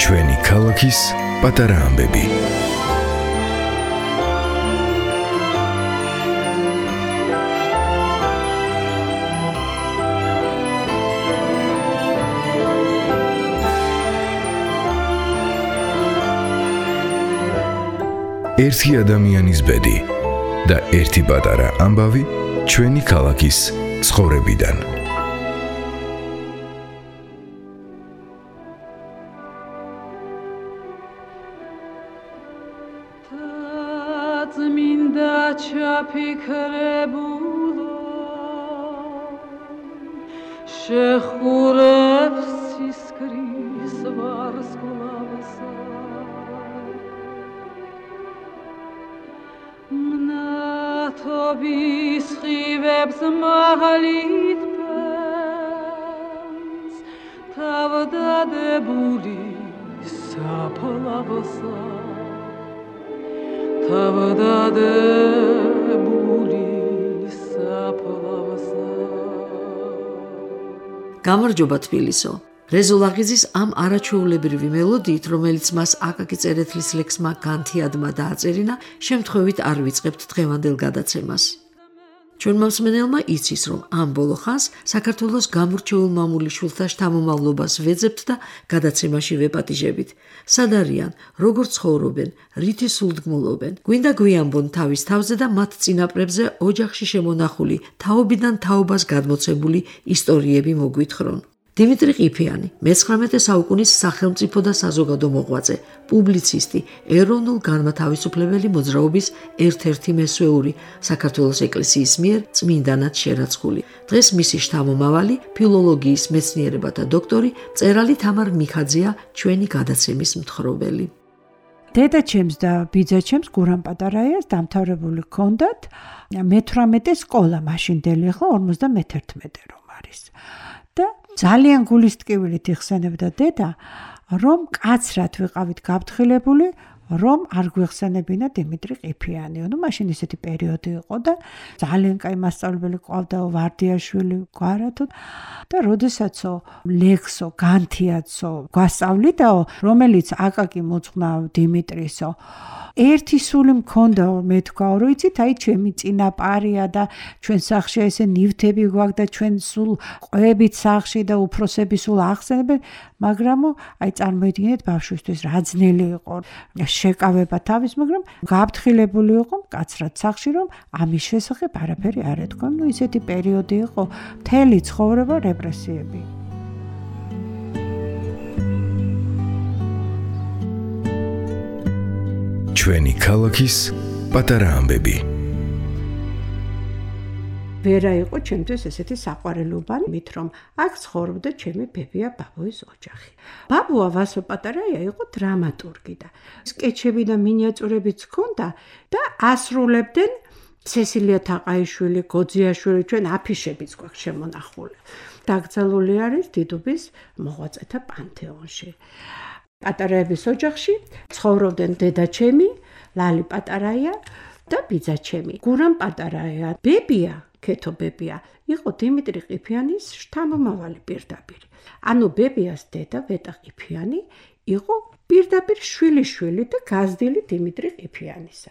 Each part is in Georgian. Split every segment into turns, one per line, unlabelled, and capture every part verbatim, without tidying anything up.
ჩვენი ქალაქის პატარა ამბები. ერთი ადამიანის ბედი და ერთი პატარა ამბავი ჩვენი ქალაქის ცხოვრებიდან.
წმინდა ჩაფიქრებულო შეხურებს სისკრის ვარსკვლავსა მნათობის ხივებს მაღლით პენს თავდადებული საფლავსა თავდადებული საფლავსა.
გამარჯობა თბილისო. რეზო ლაღიძის ამ არაჩვეულებრივი მელოდიით, რომელიც მას აკაკი წერეთლის ლექსმა განთიადმა დააწერინა, შემთხვევით არ ვიწყებთ დღევანდელ გადაცემას. ჩვენმა მსმენელმა იცის, რომ ამ ბოლო ხანს საქართველოს გამორჩეულ მამულიშვილთა შთამომავლობას ვეძებთ და გადაცემაში ვეპატიჟებით. სად არიან, როგორ ცხოვრობენ, რითი სულდგმულობენ. გვინდა გვიამბონ თავის თავზე და მათ წინაპრებზე ოჯახში შემონახული, თაობიდან თაობას გადმოცემული ისტორიები მოგვითხრონ. დიმიტრი ყიფიანი, მეცხრამეტე საუკუნის სახელმწიფო და საზოგადო მოღვაწე, პუბლიცისტი, ეროვნულ-განმათავისუფლებელი მოძრაობის ერთ-ერთი მესვეული, საქართველოს ეკლესიის მიერ წმინდანად შერაცხული. დღეს მისი შთამომავალი, ფილოლოგიის მეცნიერებათა დოქტორი, მწერალი თამარ მიქაძეა ჩვენი გადაცემის მთხრობელი.
დედაჩემს და ბიძაჩემს გურამ პატარაიას დამთავრებული ჰქონდათ მეთვრამეტე სკოლა, მაშინდელი ახლა ორმოცდამეთერთმეტე რომ არის. და ძალიან გულისტკივილით იხსენებდა დედა, რომ კაცრად ვიყავით გაფრთხილებული, რომ არ გვიხსენებინა დიმიტრი ყიფიანი. ნუ მაშინ ისეთი პერიოდი იყო და ძალიან კაი მასწავლებელი ყავდა ვარდიაშვილი გვარათო და როდესაც ლექსო, განთიადსო გვასწავლიდაო, რომელიც აკაკი მოძღვნავ დიმიტრისო, ერთი სული მქონდა, მე თქვა, რომ იცით, აი ჩემი წინაპარია და ჩვენ სახში ესე ნივთები გვაქვს და ჩვენ სულ ყვებით სახში და უფროსები სულ ახსენებენ, მაგრამ აი წარმოიდგინეთ ბავშვისთვის რა ძნელი იყო შეკავება თავის, მაგრამ გაფრთხილებული იყო მკაცრად სახში, რომ ამის შესახებ არაფერი არ ეთქვა. ნუ ისეთი პერიოდი იყო, მთელი ცხოვრება რეპრესიები.
ჩვენი ქალაქის პატარა ამბები.
ვერა იყო ჩემთვის ესეთი საყვარელობანი, მით რომ აქ ცხოვრობდა ჩემი ბებია ბაბუის ოჯახი. ბაბუა ვასო პატარაია იყო დრამატურგი და სკეჩები და მინიატურებიც ჰქონდა და ასრულებდნენ ცესილია თაყაიშვილი, გოძიაშვილი, ჩვენ აფიშებიც გვაქვს შემონახული. დაკრძალული არის დიდუბის მოღვაწეთა პანთეონში. პატარაების ოჯახში ცხოვრობდნენ დედაჩემი, ლალი პატარაია და ბიძაჩემი. გურამ პატარაია, ბებია, ქეთო ბებია, იყო დიმიტრი ყიფიანის შთამომავალი პირდაპირ. ანუ ბებიას დედა ვეტა ყიფიანი იყო პირდაპირ შვილიშვილი და გაზრდილი დიმიტრი ყიფიანისა.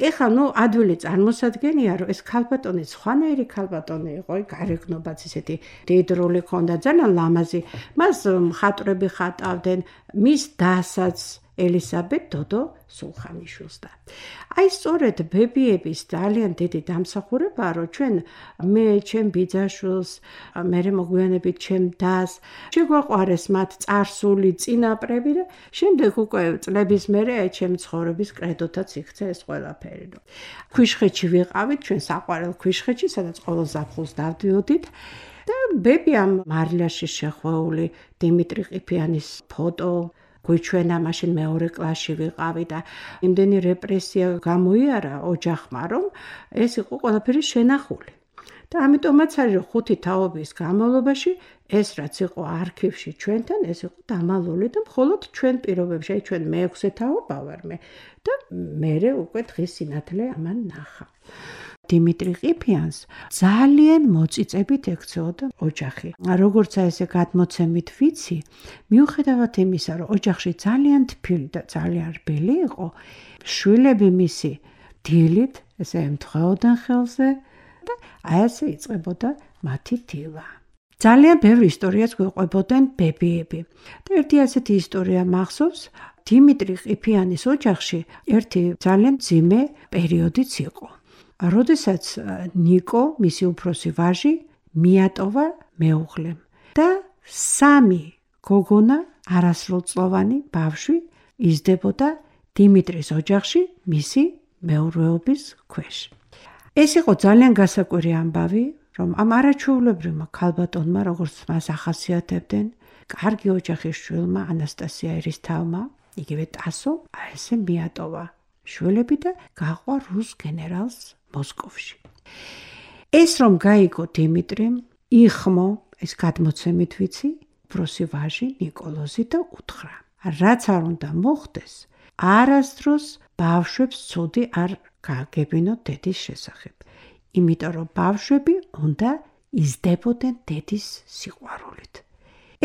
ეხლა ნუ ადვილი წარმოსადგენია, რომ ეს ქალბატონი სხვანაირი ქალბატონი იყო, გარეგნობაც ისეთი დიდრული ქონდა, ძალიან ლამაზი. მას მხატვრები ხატავდნენ, მის დასაც ელისაბედ დოდო სულხანიშვილს და აი სწორედ ბებიების ძალიან დიდი დამსახურებაა, რომ ჩვენ მე ჩემ ბიძაშვილს, მერე მოგვიანებით ჩემ დას შეგვაყვარეს მათ წარსული წინაპრები და შემდეგ უკვე წლების მერე ჩემ ცხოვრების კრედოთაც იქცა ეს ყველაფერი. ქვიშხეთში ვიყავით, ჩვენ საყვარელ ქვიშხეთში, სადაც ყოველ ზაფხულს დავდიოდით და ბებიამ მარილაში შეხვეული დიმიტრი ყიფიანის ფოტო გვიჩვენა, მაშინ მეორე კლასში ვიყავი და იმდენი რეპრესია გამოიარა ოჯახმა, რომ ეს იყო ყველაფერი შენახული. და ამიტომაც არის რომ ხუთი თაობის განმავლობაში ეს რაც იყო არქივში ჩვენთან, ეს იყო დამალული და მხოლოდ ჩვენ პირობებში, აი ჩვენ მეექვსე თაობა ვარ მე და მე უკვე დღის სინათლე ამან ნახა. დიმიტრი ყიფიანს ძალიან მოწიწებით ექცეოდა ოჯახი. როგორც ესე გადმოცემით ვიცი, მიუხედავად იმისა, რომ ოჯახში ძალიან თბილი და ძალიან რბილი იყო, შვილები მისი დილით ესე ემთხვეოდნენ ხელზე და აი ესე იწყებოდა მათი დილა. ძალიან ბევრი ისტორიას გვეყვებოდნენ ბებიები. და ერთი ასეთი ისტორია მახსოვს, დიმიტრი ყიფიანის ოჯახში ერთი ძალიან მძიმე პერიოდიც იყო. როდესაც ნიკო, მისი უფროსი ვაჟი, მიატოვა მეუღლემ და სამი გოგონა, არასრულწლოვანი ბავშვი იზრდებოდა დიმიტრის ოჯახში მისი მეურვეობის ქვეშ. ეს იყო ძალიან გასაკვირი ამბავი, რომ ამ არაჩვეულებრივმა ქალბატონმა, როგორც მას ახასიათებდნენ, კარგი ოჯახის შვილმა ანასტასია ერისთავმა, იგივე ტასო, აი ესე მიატოვა შვილები და გაყვა რუს გენერალს მოსკოვში. ეს რომ გაიგო დიმიტრიმ, იხმო, ეს გადმოცემით ვიცი, უფროსი ვაჟი ნიკოლოზი და უთხრა, რაც არ უნდა მოხდეს, არასდროს ბავშვებს ცუდი არ გააგებინოთ დედის შესახებ. იმიტომ რომ ბავშვები უნდა იზრდებოდნენ დედის სიყვარულით.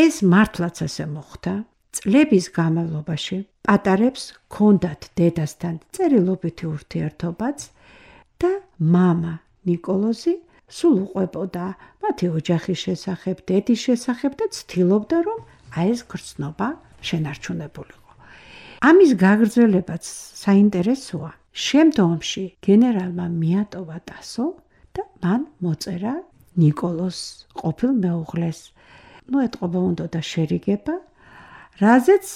ეს მართლაც ასე მოხდა. წლების განმავლობაში პატარებს ჰქონდათ დედასთან წერილობითი ურთიერთობაც და მამა ნიკოლოზი სულ უყვებოდა მათი ოჯახის შესახებ, დედის შესახებ და ცდილობდა რომ აი ეს გრძნობა შენარჩუნებულიყო. ამის გაგრძელებაც საინტერესოა. შემდგომში გენერალმა მიატოვა ტასო და მან მოწერა ნიკოლოს ყოფილ მეუღლეს. ნუ ეტყობა უნდა შერიგება, რაზეც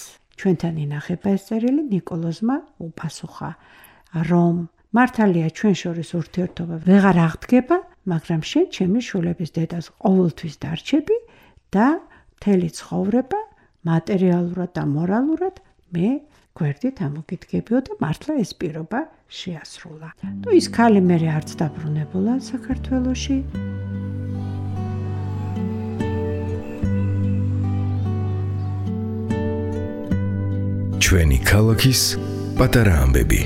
ჩვენთან ინახება ეს წერილი ნიკოლოზმა უპასუხა, რომ მართალია ჩვენ შორის ურთიერთობა ვეღარ აღდგება, მაგრამ შენ ჩემი შვილების დედას ყოველთვის დარჩები და მთელი ცხოვრება მატერიალურად და მორალურად მე გვერდით ამოგიდგებიო და მართლა ეს პირობა შეასრულა. ნუ ის ქალი მერე არც დაბრუნებულა საქართველოში.
ჩვენი ქალაქის პატარა ამბები.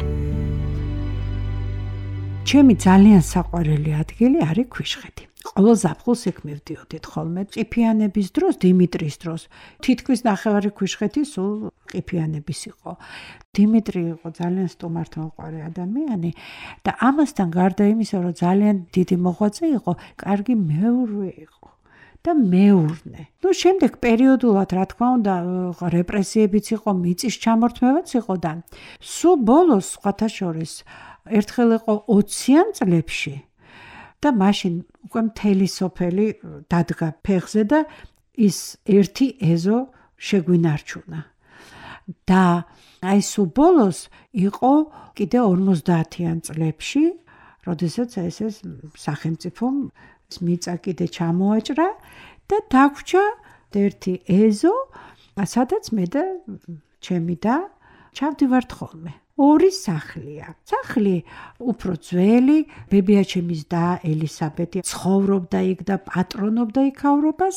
ჩემი ძალიან საყვარელი ადგილი არის ქვიშხეთი. ყოველ ზაფხულს იქ მივდიოდით ხოლმე. ყიფიანების დროს, დიმიტრის დროს, თითქმის ნახევარი ქვიშხეთი სულ ყიფიანების იყო. დიმიტრი იყო ძალიან სტუმართმოყვარე ადამიანი და ამასთან გარდა იმისა, რომ ძალიან დიდი მოღვაწე იყო, კარგი მეურვე იყო და მეურნე. ნუ შემდეგ პერიოდულად, რა თქმა უნდა, რეპრესიებიც იყო, მიწის ჩამორთმევაც იყო და სულ ბოლოს სხვათა შორის ერთხელ იყო ოციან წლებში და მაშინ უკვე მთელი სოფელი დადგა ფეხზე და ის ერთი ეზო შეგვინარჩუნა. და აი სულ ბოლოს იყო კიდე ორმოცდაათიან წლებში, როდესაც ეს ეს სახელმწიფომ მიწა კიდე ჩამოაჭრა და დაგვრჩა ერთი ეზო, სადაც მე და ჩემი და ჩავდივართ ხოლმე. ორი სახლია. სახლი უფრო ძველი, ბებიაჩემის და ელისაბედი ცხოვრობდა იქ და პატრონობდა იქავრობას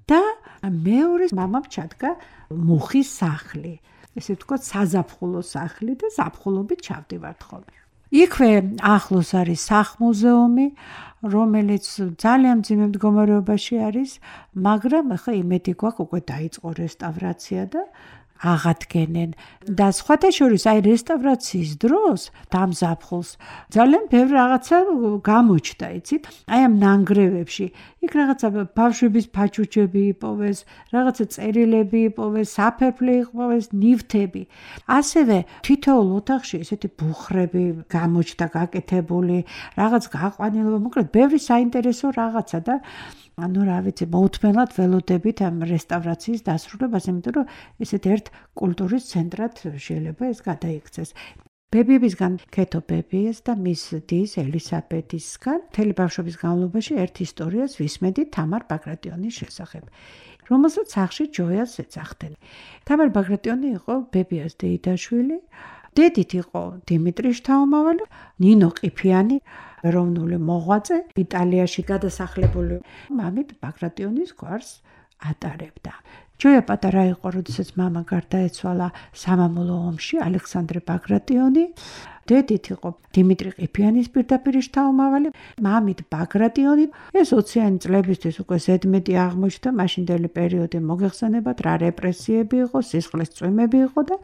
და მეორე მამამ ჩადგა მუხის სახლი. ესე ვთქვათ, საზაფხულო სახლი და ზაფხულობით ჩავდივართ ხოლმე. იქვე ახლოს არის სახლ-მუზეუმი, რომელიც ძალიან მძიმე მდგომარეობაში არის, მაგრამ ახლა იმედი გვაქვს უკვე დაიწყო რესტავრაცია და აღადგენენ და სხვათა შორის აი რესტავრაციის დროს დამზაფხულს ძალიან ბევრი რაღაცა გამოჩნდა, იცით? აი ამ ნანგრევებში იქ რაღაცა ბავშვების ფაჩუჩები იპოვეს, რაღაცა წერილები იპოვეს, საფერფლე იპოვეს, ნივთები. ასევე თითოეულ ოთახში ესეთი ბუხრები გამოჩნდა გაკეთებული, რაღაც გაყვანილობა, მოკლედ ბევრი საინტერესო რაღაცა და ანუ რა ვიცი, მოუთმენლად ველოდებით ამ რესტავრაციის დასრულებას, იმიტომ რომ ესეთ ერთ კულტურის ცენტრად შეიძლება ეს გადაიქცეს. ბებიებისგან ქეთო ბებიეს და მის დის ელისაბედისგან მთელი ბავშვობის განმავლობაში ერთ ისტორიას ვისმენდი თამარ ბაგრატიონის შესახებ, რომელსაც სახლში ჯოიას ეძახდნენ. თამარ ბაგრატიონი იყო ბებიას დეიდაშვილი დედით იყო დიმიტრი შთაომავალი, ნინო ყიფიანი, ეროვნული მოღვაწე, იტალიაში გადასახლებული, მამით ბაგრატიონის გვარს ატარებდა. ჯოია პატარა იყო, როდესაც მამა გარდაეცვალა სამამულო ომში, ალექსანდრე ბაგრატიონი. დედით იყო დიმიტრი ყიფიანის პირდაპირ შთაომავალი, მამით ბაგრატიონი. ეს ოციანი წლებისთვის უკვე ზედმეტი აღმოჩნდა, მაშინდელი პერიოდი მოგეხსენებათ, რა რეპრესიები იყო, სისხლის წვიმები იყო და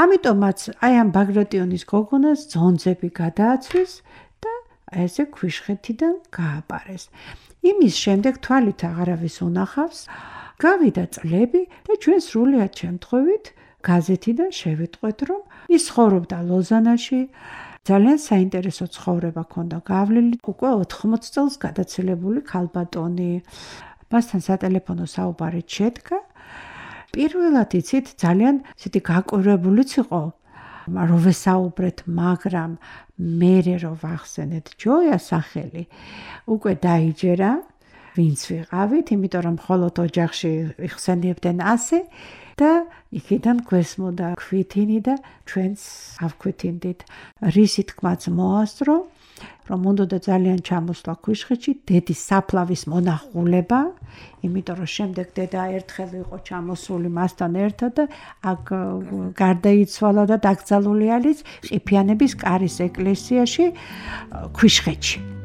ამიტომაც აი ამ ბაგრატიონის გოგონას ძონძები გადააცვეს და ესე ქვიშხეთიდან გააპარეს. იმის შემდეგ თვალით აღარავის უნახავს, გავიდა წლები და ჩვენ სრულიად შემთხვევით გაზეთიდან შევიტყვეთ, რომ ის ცხოვრობდა ლოზანაში, ძალიან საინტერესო ცხოვრება ჰქონდა გავლილი, უკვე ოთხმოც წელს გადაცილებული ქალბატონი. მასთან სატელეფონო საუბარი შედგა. პირველად იცით, ძალიან ისეთი გაკვირვებულიც იყო, რომ ვესაუბრეთ, მაგრამ მერე რო ვახსენეთ ჯოიას სახელი, უკვე დაიჯერა, ვინც ვიყავით, იმიტომ რომ მხოლოდ ოჯახში იხსენიებდნენ ასე და იქიდან გვესმოდა ქვითინი და ჩვენც ავქვითინდით. რისი თქმაც მოასწრო, რომ უნდა ძალიან ჩამოსვლა ქვიშხეთში დედის საფლავის მონახულება, იმიტომ რომ შემდეგ დედა ერთხელ იყო ჩამოსული მასთან ერთად და აქ გარდაიცვალა და დაკრძალული არის ყიფიანების კარის ეკლესიაში ქვიშხეთში.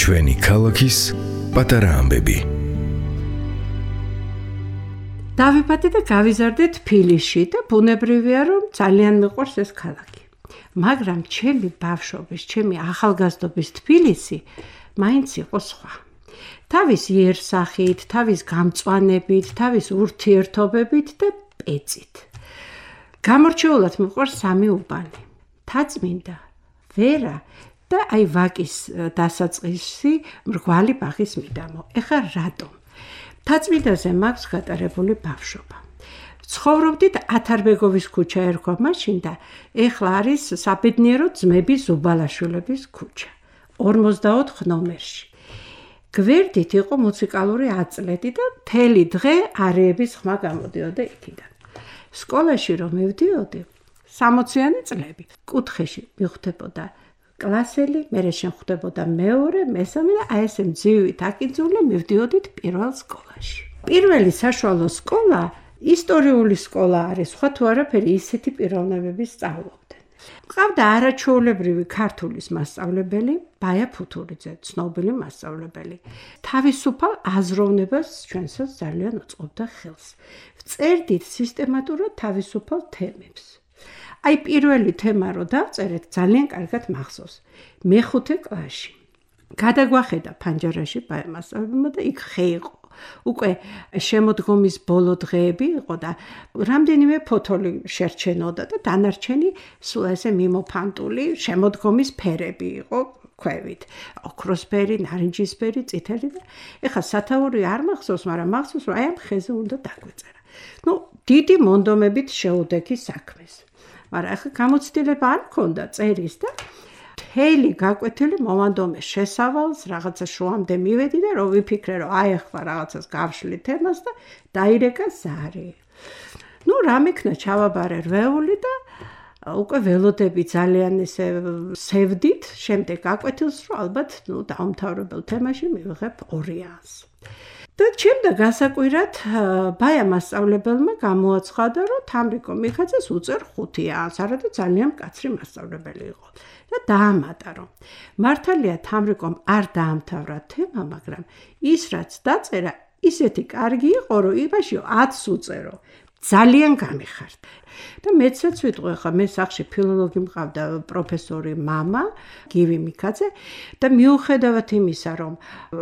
ჩვენი ქალაქის პატარა ამბები.
დავიბადე და გავიზარდე თბილისში და ბუნებრივია, რომ ძალიან მიყვარს ეს ქალაქი. მაგრამ ჩემი ბავშვობის, ჩემი ახალგაზრდობის თბილისი მაინც იყო სხვა. თავის იერსახით, თავის გამწვანებით, თავის ურთიერთობებით და პეწით. გამორჩეულად მიყვარს სამი უბანი. თაწმინდა, ვერა და აი ვაკის დასაწყისი მრგვალი ბაღის მიდამო. ეხლა რატომ? თაწმინდაზე მაქვს გატარებული ბავშვობა. ცხოვრობდით ათარბეგოვის ქუჩა ერქვა მაშინ და ეხლა არის საბედნიერო ძმების ზუბალაშვილების ქუჩა. ორმოცდაოთხ ნომერში. გვერდით იყო მუსიკალური აწლედი და მთელი დღე არეების ხმა გამოდიოდა იქიდან. სკოლაში რომ მივდიოდი, სამოციანი წლები. კუთხეში მიხვდებოდა კლასელი, მერე შემხვდებოდა მეორე, მესამე და აი ესე მძივით აკინძულე მივდიოდით პირველ სკოლაში. პირველი საშუალო სკოლა ისტორიული სკოლა არის, სხვა თუ არაფერი ისეთი პიროვნებები სწავლობდნენ. მყავდა არაჩვეულებრივი ქართულის მასწავლებელი, ბაია ფუთურიძე, ცნობილი მასწავლებელი. თავისუფალ აზროვნებას ჩვენსაც ძალიან უწყობდა ხელს. ვწერდით სისტემატურად თავისუფალ თემებს. აი პირველი თემა რო დავწერეთ, ძალიან კარგად მახსოვს. მეხუთე კლასში. გადაგვახედა ფანჯარაში ბაია მასწავლებელმა და იქ ხე იყო. უკვე შემოდგომის ბოლო დღეები იყო და რამდენიმე ფოთოლი შერჩენოდა და დანარჩენი სულ ესე მიმოფანტული შემოდგომის ფერები იყო ქვევით. ოქროსფერი, ნარინჯისფერი, წითელი და ეხა სათაური არ მახსოვს, მაგრამ მახსოვს, რომ აი ამ ხეზე უნდა დაგვეწერა. ნუ დიდი მონდომებით შეუდექი საქმეს. მაგრამ ახლა გამოცდილება არ მქონდა წერის და მთელი გაკვეთილი მომანდომე შესავალს, რაღაცა შუამდე მივედი და რომ ვიფიქრე, რომ აი ახლა რაღაცას გავშლი თემას და დაირეკა ზარი. ნუ რამ იქნა ჩავაბარე რვეული და უკვე ველოდები ძალიან ესე სევდით, შემდეგ გაკვეთილს, რომ ალბათ ნუ დაუმთავრებელ თემაში მივიღებ ორიანს. და ჩემდა გასაკვირად ბაია მასწავლებელმა გამოაცხადა, რომ თამრიკო მიქაძეს უწერ ხუთიანს, არადა ძალიან მკაცრი მასწავლებელი იყო. და დაამატა, რომ მართალია თამრიკომ არ დაამთავრა თემა, მაგრამ ის რაც დაწერა, ისეთი კარგი იყო, რომ იმაში ათს უწერო. ძალიან გამიხარდა. და მეცაც ვიტყვი, ხა მე სახში ფილოლოგი მყავდა პროფესორი მამა, გივი მიქაძე და მიუხედავად იმისა, რომ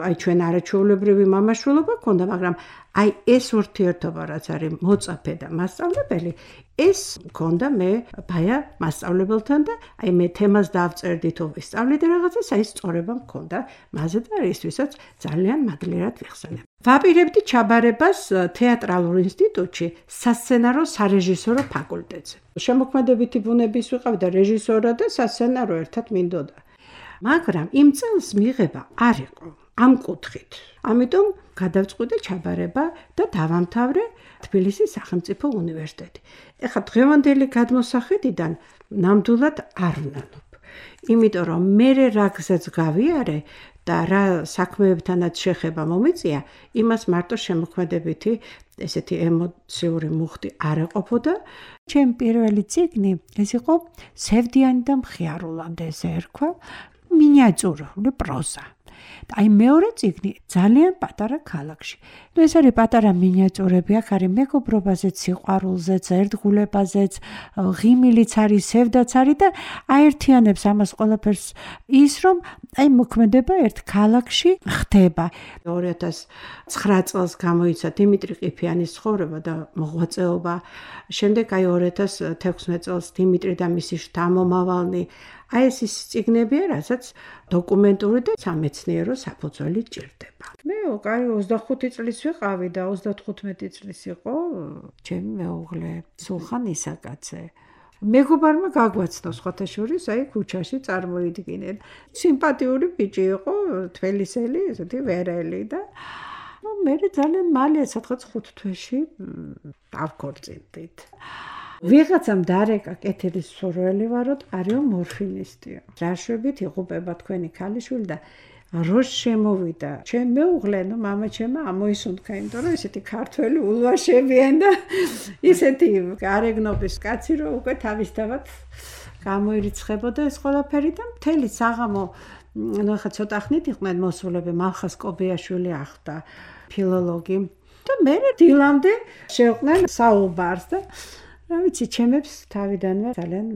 აი ჩვენ არაჩვეულებრივი მამაშვილობა ჰქონდა, მაგრამ აი ეს ურთიერთობა რაც არის მოწაფე და მასწავლებელი, ეს მქონდა მე ბაია მასწავლებელთან და აი მე თემას დავწერდი თუ ვისწავლიდე რაღაცას, აი სწორება მქონდა მასზე და ისთვისაც ძალიან მადლიერად ვიხსენებ. ვაპირებდი ჩაბარებას თეატრალურ ინსტიტუტში სასცენარო სარეჟისორო ფაკულტეტზე. შემოქმედებითი ბუნების ვიყავი და რეჟისორად და სასცენარო ერთად მინდოდა. მაგრამ იმ წელს მიღება არ იყო. ამ კუთხით. ამიტომ გადავწყვიტე ჩაბარება და დავამთავრე თბილისის სახელმწიფო უნივერსიტეტი. ეხლა დღევანდელი გადმოსახედიდან ნამდვილად არ ვნანობ. იმიტომ რომ მე რა გზაც გავიარე და რა საქმეებთანაც შეხება მომიწია, იმას მარტო შემოქმედებითი ესეთი ემოციური მუხტი არ ეყოფოდა. ჩემი პირველი წიგნი ეს იყო სევდიანი და მხიარულამდე ესე ერქვა, მინიატურული პროზა. აი მეორე წიგნი ძალიან პატარა ქალაქში. ნუ ეს არის პატარა მინიატურები, აქ არის მეგობრობაზეც, სიყვარულზეც, ერთგულებაზეც, ღიმილიც არის, სევდაც არის და აერთიანებს ამას ყველაფერს ის, რომ აი მოქმედება ერთ ქალაქში ხდება. ორი ათას ცხრა წელს გამოიცა დიმიტრი ყიფიანის ცხოვრება და მოღვაწეობა. შემდეგ აი ორი ათას თექვსმეტ წელს დიმიტრი და მისი შთამომავალნი. აი ეს ის წიგნებია, რასაც დოკუმენტური და სამეცნიერო საფუძველი ჭირდება. მე კაი ოცდახუთი წლის ვიყავი და ოცდათხუთმეტი წლის იყო ჩემი მეუღლე სულხან ისაკაძე. მეგობარმა გაგვაცნო სხვათა შორის აი ქუჩაში წარმოიდგინეთ. სიმპათიური ბიჭი იყო, თველისელი, ესეთი ვერელი და ნუ მე ძალიან მალე სადღაც ხუთ თვეში დავქორწინდით. ვიღაცამ დარეკა კეთილის სურველი ვაროთ, არიო მორფინისტიო. რაშვებით იღუპება თქვენი ქალიშვილი და როშ შემოვიდა. ჩემ მეუღლე, ნუ მამა ჩემა ამოისუნთქა, იმიტომ რომ ესეთი ქართველი ულვაშებიან და ისეთი გარეგნობის კაცი, რომ უკვე თავისთავად გამოირიცხებოდა ეს ყველაფერი და მთელი საღამო, ნუ ახლა ცოტა ხნით იყვნენ მოსულები, მალხას კობიაშვილი ახდა, ფილოლოგი. და მე დილამდე შევყვნენ საუბარს და რა ვიცი, ჩემებს თავიდანვე ძალიან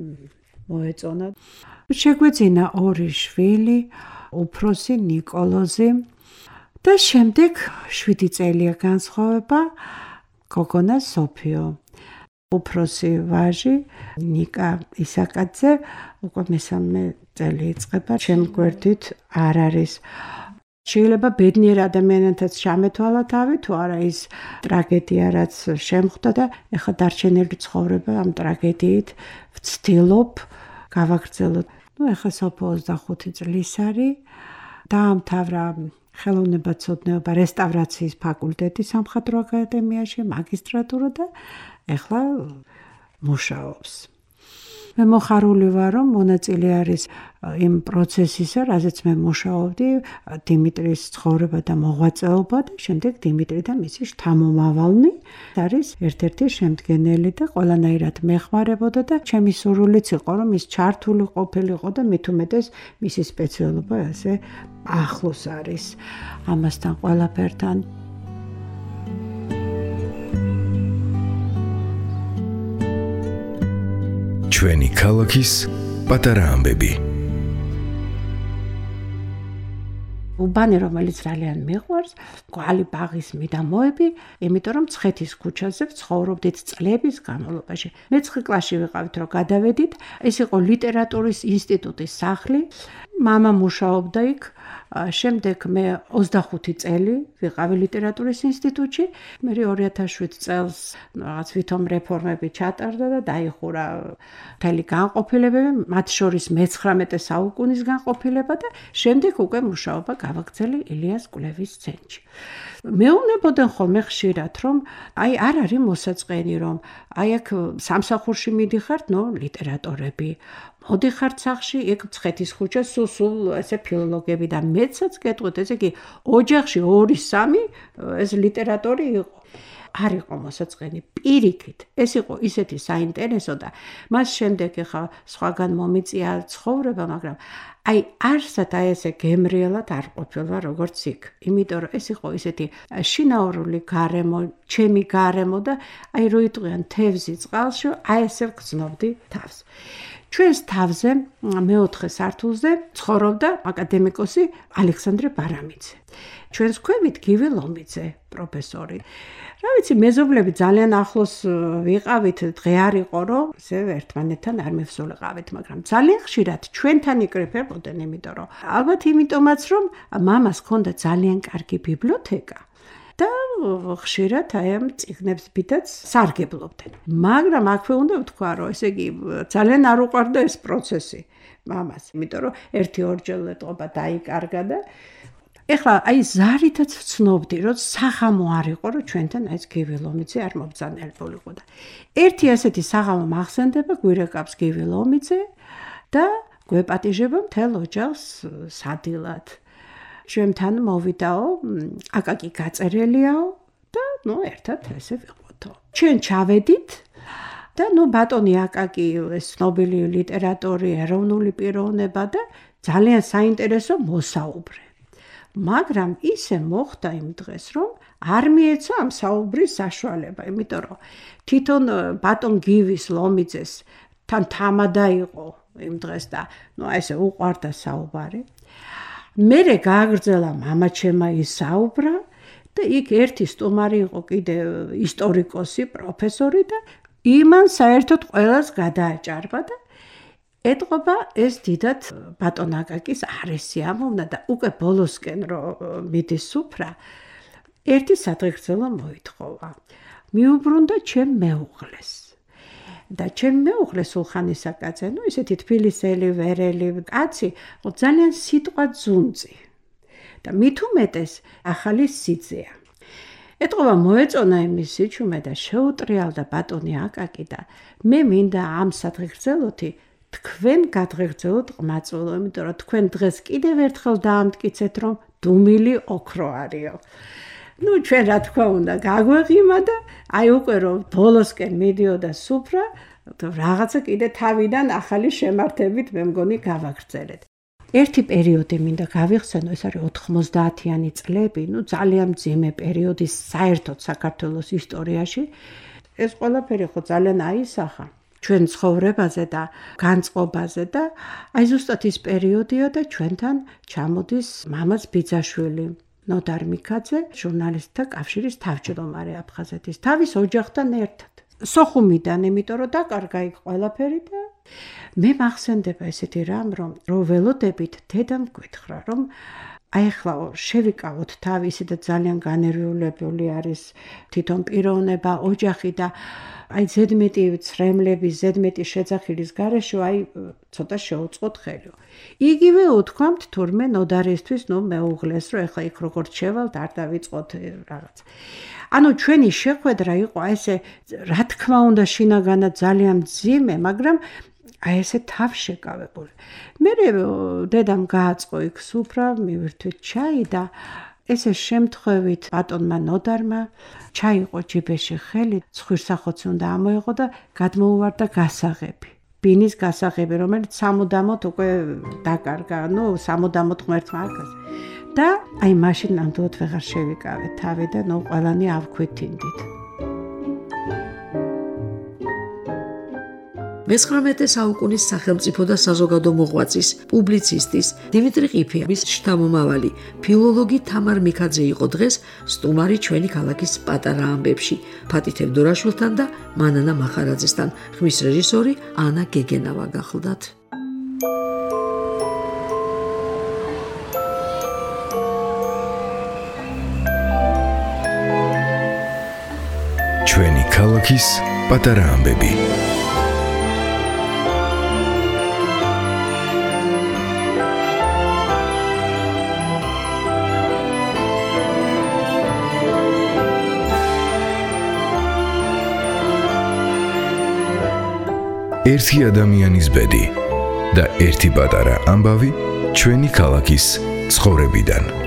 მოეწონა. შეგვეძინა ორი შვილი, უფროსი ნიკოლოზი და შემდეგ შვიდი წელია განსხვავება გოგონა სოფიო. უფროსი ვაჟი ნიკა ისაკაძე უკვე მესამე წელი იწყება, ჩემ გვერდით არ არის. შეიძლება ბედნიერ ადამიანთაც ჩამეთვალა თავი, თუ არა ის ტრაგედია, რაც შემხვდა და ეხლა დარჩენილი ცხოვრება ამ ტრაგედიით ვცდილობ გავაგრძელოთ. ნუ ეხლა სოფო ოცდახუთი წლის არის, დაამთავრა ხელოვნებაცოდნეობა რესტავრაციის ფაკულტეტი სამხატვრო აკადემიაში, მაგისტრატურა და ეხლა მუშაობს. მე მოხარული ვარ, რომ მონაწილე არის იმ პროცესისა, რაზეც მე მუშაობდი, დიმიტრის ცხოვრება და მოღვაწეობა და შემდეგ დიმიტრი და მისი შთამომავალნი არის ერთ-ერთი შემდგენელი და ყველანაირად მეხმარებოდა და ჩემი სურვილიც იყო, რომ ის ჩართული ყოფილიყო და მით უმეტეს მისი სპეციალობა ასე ახლოს არის ამასთან ყველაფერთან.
ჩვენი ქალაქის პატარა ამბები.
უბანი, რომელიც ძალიან მიყვარს, კვალი ბაღის მიდამოები, იმიტომ რომ ცხეთის ქუჩაზე ვცხოვრობდით წლების განმავლობაში. მეცხრე კლასში ვიყავით, რომ გადავედით, ეს იყო ლიტერატურის ინსტიტუტის სახლი. მამა მუშაობდა იქ, შემდეგ მე ოცდახუთი წელი ვიყავი ლიტერატურის ინსტიტუტში. მე ორი ათას შვიდ წელს რაღაც ვითომ რეფორმები ჩატარდა და დაიხურა მთელი განყოფილებები, მათ შორის მეცხრამეტე საუკუნის განყოფილება და შემდეგ უკვე მუშაობა გავაგრძელე ილიას კვლევის ცენტრში. მეუბნებოდნენ ხოლმე ხშირად, რომ აი არ არის მოსაწყენი, რომ აი აქ სამსახურში მიდიხართ, ნუ ლიტერატორები. მოდიხართ სახლში, იქ ცხეთის ქუჩა, სულ სულ ესე ფილოლოგები და მეცაც გეტყვით, ესე იგი ოჯახში ორი სამი ეს ლიტერატორი იყო. არ იყო მოსაწყენი პირიქით. ეს იყო ისეთი საინტერესო და მას შემდეგ ახლა სხვაგან მომიწია ცხოვრება, მაგრამ აი არსად აი ესე გემრიელად არ ყოფილა როგორც იქ. იმიტომ რომ ეს იყო ისეთი შინაურული გარემო, ჩემი გარემო და აი რო იტყვიან თევზი წყალში, აი ესე ვგრძნობდი თავს. ჩვენს თავზე მეოთხე სართულზე ცხოვრობდა აკადემიკოსი ალექსანდრე ბარამიძე. ჩვენს ქვევით გივი ლომიძე, პროფესორი. რა ვიცი, მეზობლები ძალიან ახლოს ვიყავით, დღე არ იყო, რომ ესე ერთმანეთთან არ მივსულიყავით, მაგრამ ძალიან ხშირად ჩვენთან იკრიფებოდნენ, იმიტომ რომ ალბათ იმიტომაც, რომ მამას ჰქონდა ძალიან კარგი ბიბლიოთეკა. და ხშირად აი ამ წიგნებს ბიდაც სარგებლობდნენ. მაგრამ აქვე უნდა ვთქვა, რომ ესე იგი ძალიან არ უყვარდა ეს პროცესი მამას, იმიტომ რომ ერთი ორჯერ ეტყობა დაიკარგა და ეხლა აი ზარითაც ვცნობდი, რომ საღამო არ იყო, რომ ჩვენთან ეს გივი ლომიძე არ მობრძანებულიყო და ერთი ასეთი საღამო მახსენდება, გვირეკავს გივი ლომიძე და გვეპატიჟება მთელ ოჯახს სადილად. ჩვენთან მოვიდაო, აკაკი გაწერელიაო და ნუ ერთად ესე ვიყავთო. ჩვენ ჩავედით და ნუ ბატონი აკაკი ეს ცნობილი ლიტერატორი, ეროვნული პიროვნება და ძალიან საინტერესო მოსაუბრე. მაგრამ ისე მოხდა იმ დღეს, რომ არ მიეცა ამ საუბრის საშუალება, იმიტომ რომ თვითონ ბატონ გივის ლომიძეს თან თამადა იყო იმ დღეს და ნუ ესე უყვარდა საუბარი. მერე გააგრძელა მამაჩემა ის საუბრა და იქ ერთი სტუმარი იყო კიდე ისტორიკოსი, პროფესორი და იმან საერთოდ ყველას გადააჭარბა და ეტყობა ეს დიდად ბატონ აკაკის არესი ამოვნა და უკვე ბოლოსკენ რომ მიდის სუფრა ერთი სადღეგრძელო მოითხოვა. მიუბრუნდა ჩემ მეუღლეს. და ჩემ მეუღლეს სულხანისაკაცე, ნუ ისეთი თბილისელი, ვერელი კაცი, ძალიან სიტყვა ძუნწი. და მით უმეტეს ახალი სიძეა. ეტყობა მოეწონა იმის სიჩუმე და შეუტრიალდა ბატონი აკაკი და მე მინდა ამ სადღეგრძელოთი თქვენ გადღეგრძელოთ ყმაწვილო, იმიტომ რომ თქვენ დღეს კიდევ ერთხელ დაამტკიცეთ, რომ დუმილი ოქრო არისო. ნუ ჩვენ რა თქმა უნდა გაგვეღიმა და აი უკვე რომ ბოლოსკენ მიდიოდა სუფრა, რაღაცა კიდე თავიდან ახალი შემართებით მე მგონი გავაგრძელეთ. ერთი პერიოდი მინდა გავიხსენო, ეს არის ოთხმოცდაათიანი წლები, ნუ ძალიან მძიმე პერიოდი საერთოდ საქართველოს ისტორიაში. ეს ყველაფერი ხო ძალიან აისახა ჩვენ ცხოვრებაზე და განწყობაზე და აი ზუსტად ის პერიოდია და ჩვენთან ჩამოდის მამაც ბიძაშვილი, ნოდარ მიქაძე, ჟურნალისტთა კავშირის თავმჯდომარე აფხაზეთის, თავის ოჯახთან ერთად. სოხუმიდან, იმიტომ რომ დაკარგა იქ ყველაფერი და მე მახსენდება ესეთი რამ, რომ რო ველოდებით დედამ გითხრა, რომ აი ახლა შევიკავოთ თავი, ისე და ძალიან განერვიულებული არის თვითონ პიროვნება, ოჯახი და აი ზედმეტი ცრემლების, ზედმეტი შეძახილის გარეშე აი ცოტა შეუწყოთ ხელი. იგივე უთქვამთ თურმე ნოდარისთვის, ნუ მეუღლეს, რომ ახლა იქ როგორც შევალთ, არ დავიწყოთ რაღაც. ანუ ჩვენი შეხვედრა იყო ესე, რა თქმა უნდა, შინაგანად ძალიან მძიმე, მაგრამ აი ესე თავშეკავებული. მე დედამ გააწყო იქ სუფრა, მივირთვით ჩაი და ესე შემთხვევით ბატონმა ნოდარმა ჩაიყო ჯიბეში ხელი, ცხვირსახოცი უნდა ამოეღო და გადმოუვარდა გასაღები. ბინის გასაღები, რომელიც სამუდამოდ უკვე დაკარგა, ნუ სამუდამოდ ღმერთმა აკაზე. და აი მაშინ ნამდვილად ვეღარ შევიკავე თავი და ნუ ყველანი ავქვითინდით.
მეცხრამეტე საუკუნის სახელმწიფო და საზოგადო მოღვაწის, პუბლიცისტის დიმიტრი ყიფეების შთამომავალი, ფილოლოგი თამარ მიქაძე იყო დღეს სტუმარი ჩვენი ქალაქის პატარა ამბებში, ფათი თევდორაშვილთან და მანანა მახარაძესთან. ხმის რეჟისორი ანა გეგენავა გახლდათ.
ჩვენი ქალაქის პატარა ამბები. ერთი ადამიანის ბედი და ერთი პატარა ამბავი ჩვენი ქალაქის ცხოვრებიდან.